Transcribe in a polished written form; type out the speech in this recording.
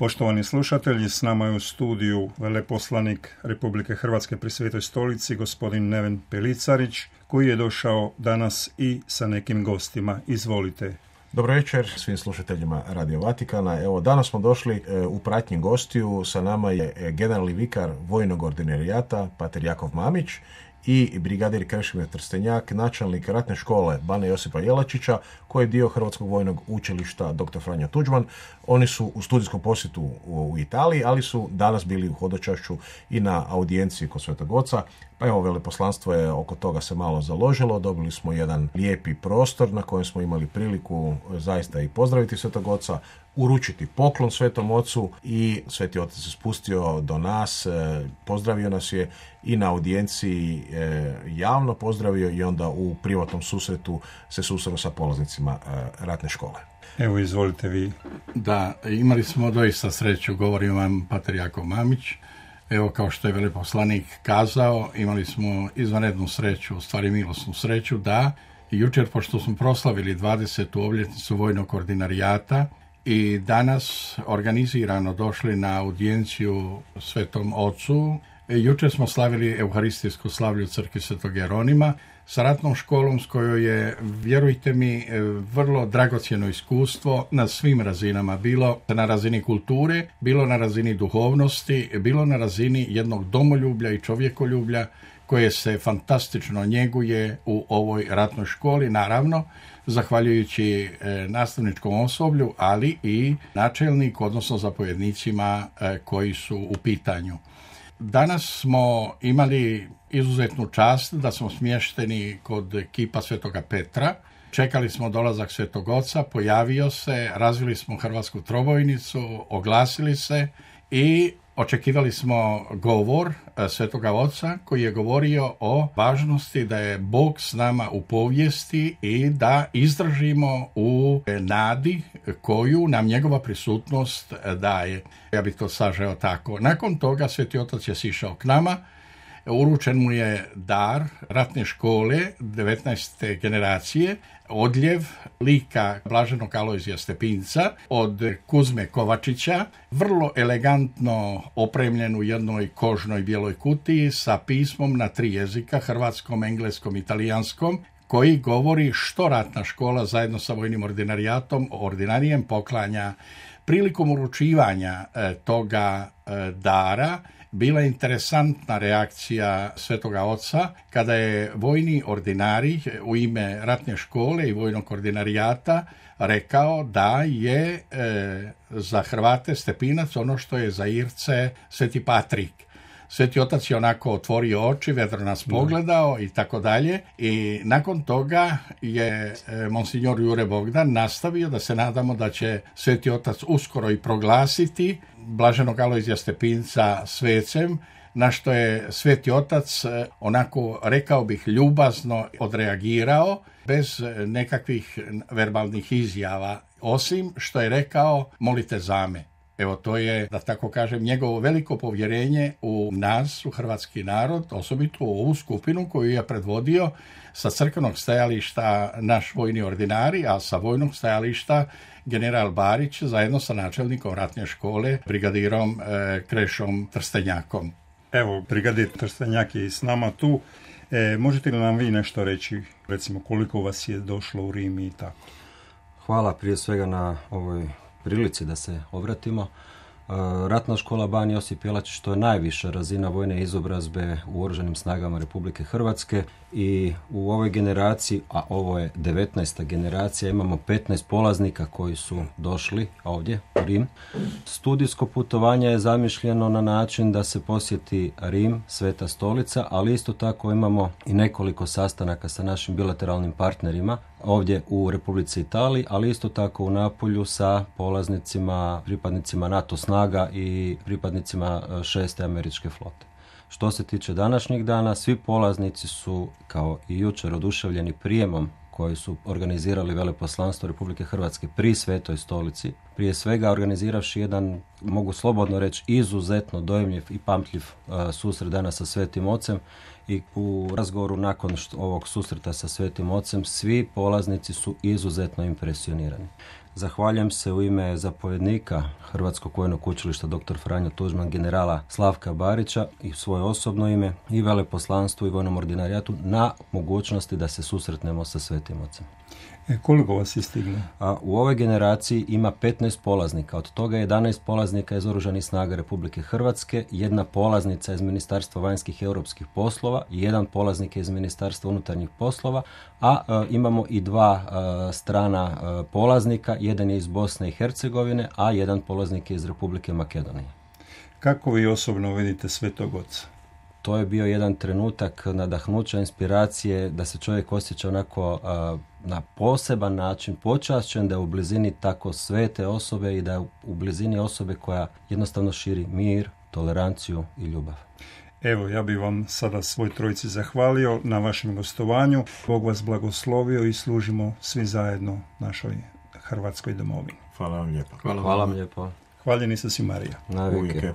Poštovani slušatelji, s nama je u studiju veleposlanik Republike Hrvatske pri Svetoj stolici, gospodin Neven Pelicarić, koji je došao danas i sa nekim gostima. Izvolite. Dobro večer svim slušateljima Radio Vatikana. Evo, danas smo došli u pratnji gostiju. Sa nama je generalni vikar vojnog ordinarijata, pater Jakov Mamić, i brigadir Krešimir Trstenjak, načelnik ratne škole Bana Josipa Jelačića, koji je dio Hrvatskog vojnog učilišta dr. Franjo Tuđman. Oni su u studijskom posjetu u Italiji, ali su danas bili u hodočašću i na audijenciji kod Svetog Oca. Pa evo, veleposlanstvo je oko toga se malo založilo. Dobili smo jedan lijepi prostor na kojem smo imali priliku zaista i pozdraviti Svetog Oca, uručiti poklon Svetom Ocu, i Sveti Otac se spustio do nas, pozdravio nas je i na audijenciji javno pozdravio, i onda u privatnom susretu se susreo sa polaznicima ratne škole. Evo, izvolite vi. Da, imali smo doista sreću, govorim vam pater Jakov Mamić. Evo, kao što je veleposlanik kazao, imali smo izvanrednu sreću, u stvari milosnu sreću, da jučer, pošto smo proslavili 20. obljetnicu vojnog ordinarijata i danas organizirano došli na audijenciju Svetom Ocu, jučer smo slavili euharistijsku slavlju crkvi Svetog Jeronima sa ratnom školom, s kojoj je, vjerujte mi, vrlo dragocjeno iskustvo na svim razinama, bilo na razini kulture, bilo na razini duhovnosti, bilo na razini jednog domoljublja i čovjekoljublja koje se fantastično njeguje u ovoj ratnoj školi, naravno zahvaljujući nastavničkom osoblju, ali i načelniku, odnosno zapovjednicima koji su u pitanju. Danas smo imali izuzetnu čast da smo smješteni kod kipa Svetoga Petra. Čekali smo dolazak Svetog Oca, pojavio se, razvili smo hrvatsku trobojnicu, oglasili se i očekivali smo govor Svetoga Oca, koji je govorio o važnosti da je Bog s nama u povijesti i da izdržimo u nadi koju nam njegova prisutnost daje. Ja bih to sažeo tako. Nakon toga Sveti Otac je sišao k nama, uručen mu je dar ratne škole 19. generacije, odljev lika blaženog Alojzija Stepinca od Kuzme Kovačića, vrlo elegantno opremljen u jednoj kožnoj bijeloj kutiji sa pismom na 3 jezika, hrvatskom, engleskom i talijanskom, koji govori što ratna škola zajedno sa vojnim ordinarijatom, ordinarijem poklanja. Prilikom uručivanja toga dara bila je interesantna reakcija Svetoga Oca kada je vojni ordinarij u ime ratne škole i vojnog ordinarijata rekao da je za Hrvate Stepinac ono što je za Irce Sveti Patrik. Sveti Otac je onako otvorio oči, vedro nas pogledao i tako dalje, i nakon toga je monsignor Jure Bogdan nastavio da se nadamo da će Sveti Otac uskoro i proglasiti blaženog Alojzija Stepinca svecem, na što je Sveti Otac onako, rekao bih, ljubazno odreagirao, bez nekakvih verbalnih izjava, osim što je rekao: molite za me. Evo, to je, da tako kažem, njegovo veliko povjerenje u nas, u hrvatski narod, osobito u ovu skupinu koju je predvodio sa crkvenog stajališta naš vojni ordinari, a sa vojnog stajališta general Barić zajedno sa načelnikom ratne škole, brigadirom Krešom Trstenjakom. Evo, brigadir Trstenjak je i s nama tu. Možete li nam vi nešto reći, recimo koliko vas je došlo u Rim i tako? Hvala prije svega na ovoj prilici da se obratimo. Ratna škola Ban Josip Jelačić, to je najviša razina vojne izobrazbe u Oružanim snagama Republike Hrvatske, i u ovoj generaciji, a ovo je 19. generacija, imamo 15 polaznika koji su došli ovdje u Rim. Studijsko putovanje je zamišljeno na način da se posjeti Rim, Sveta stolica, ali isto tako imamo i nekoliko sastanaka sa našim bilateralnim partnerima ovdje u Republici Italiji, ali isto tako u Napolju sa polaznicima, pripadnicima NATO snaga i pripadnicima 6. američke flote. Što se tiče današnjeg dana, svi polaznici su, kao i jučer, oduševljeni prijemom koji su organizirali veleposlanstvo Republike Hrvatske pri Svetoj stolici. Prije svega organiziravši jedan, mogu slobodno reći, izuzetno dojmljiv i pamtljiv susret danas sa Svetim Ocem, i u razgovoru nakon ovog susreta sa Svetim Ocem svi polaznici su izuzetno impresionirani. Zahvaljujem se u ime zapovjednika Hrvatskog vojnog učilišta dr. Franjo Tuđman, generala Slavka Barića i svoje osobno ime i veleposlanstvu i vojnom ordinarijatu na mogućnosti da se susretnemo sa Svetim Ocem. Koliko vas je stiglo? U ovoj generaciji ima 15 polaznika, od toga 11 polaznika iz Oružanih snaga Republike Hrvatske, jedna polaznica iz Ministarstva vanjskih i europskih poslova i jedan polaznik iz Ministarstva unutarnjih poslova, a imamo i dva strana polaznika, jedan je iz Bosne i Hercegovine, a jedan polaznik je iz Republike Makedonije. Kako vi osobno vidite Svetog Oca? To je bio jedan trenutak nadahnuća, inspiracije, da se čovjek osjeća onako na poseban način počašćen, da je u blizini tako svete osobe i da je u blizini osobe koja jednostavno širi mir, toleranciju i ljubav. Evo, ja bih vam sada svoj trojici zahvalio na vašem gostovanju. Bog vas blagoslovio i služimo svi zajedno našoj Hrvatskoj domovini. Hvala vam lijepo. Hvala vam lijepo. Hvaljeni se si Marija. Na vijeke.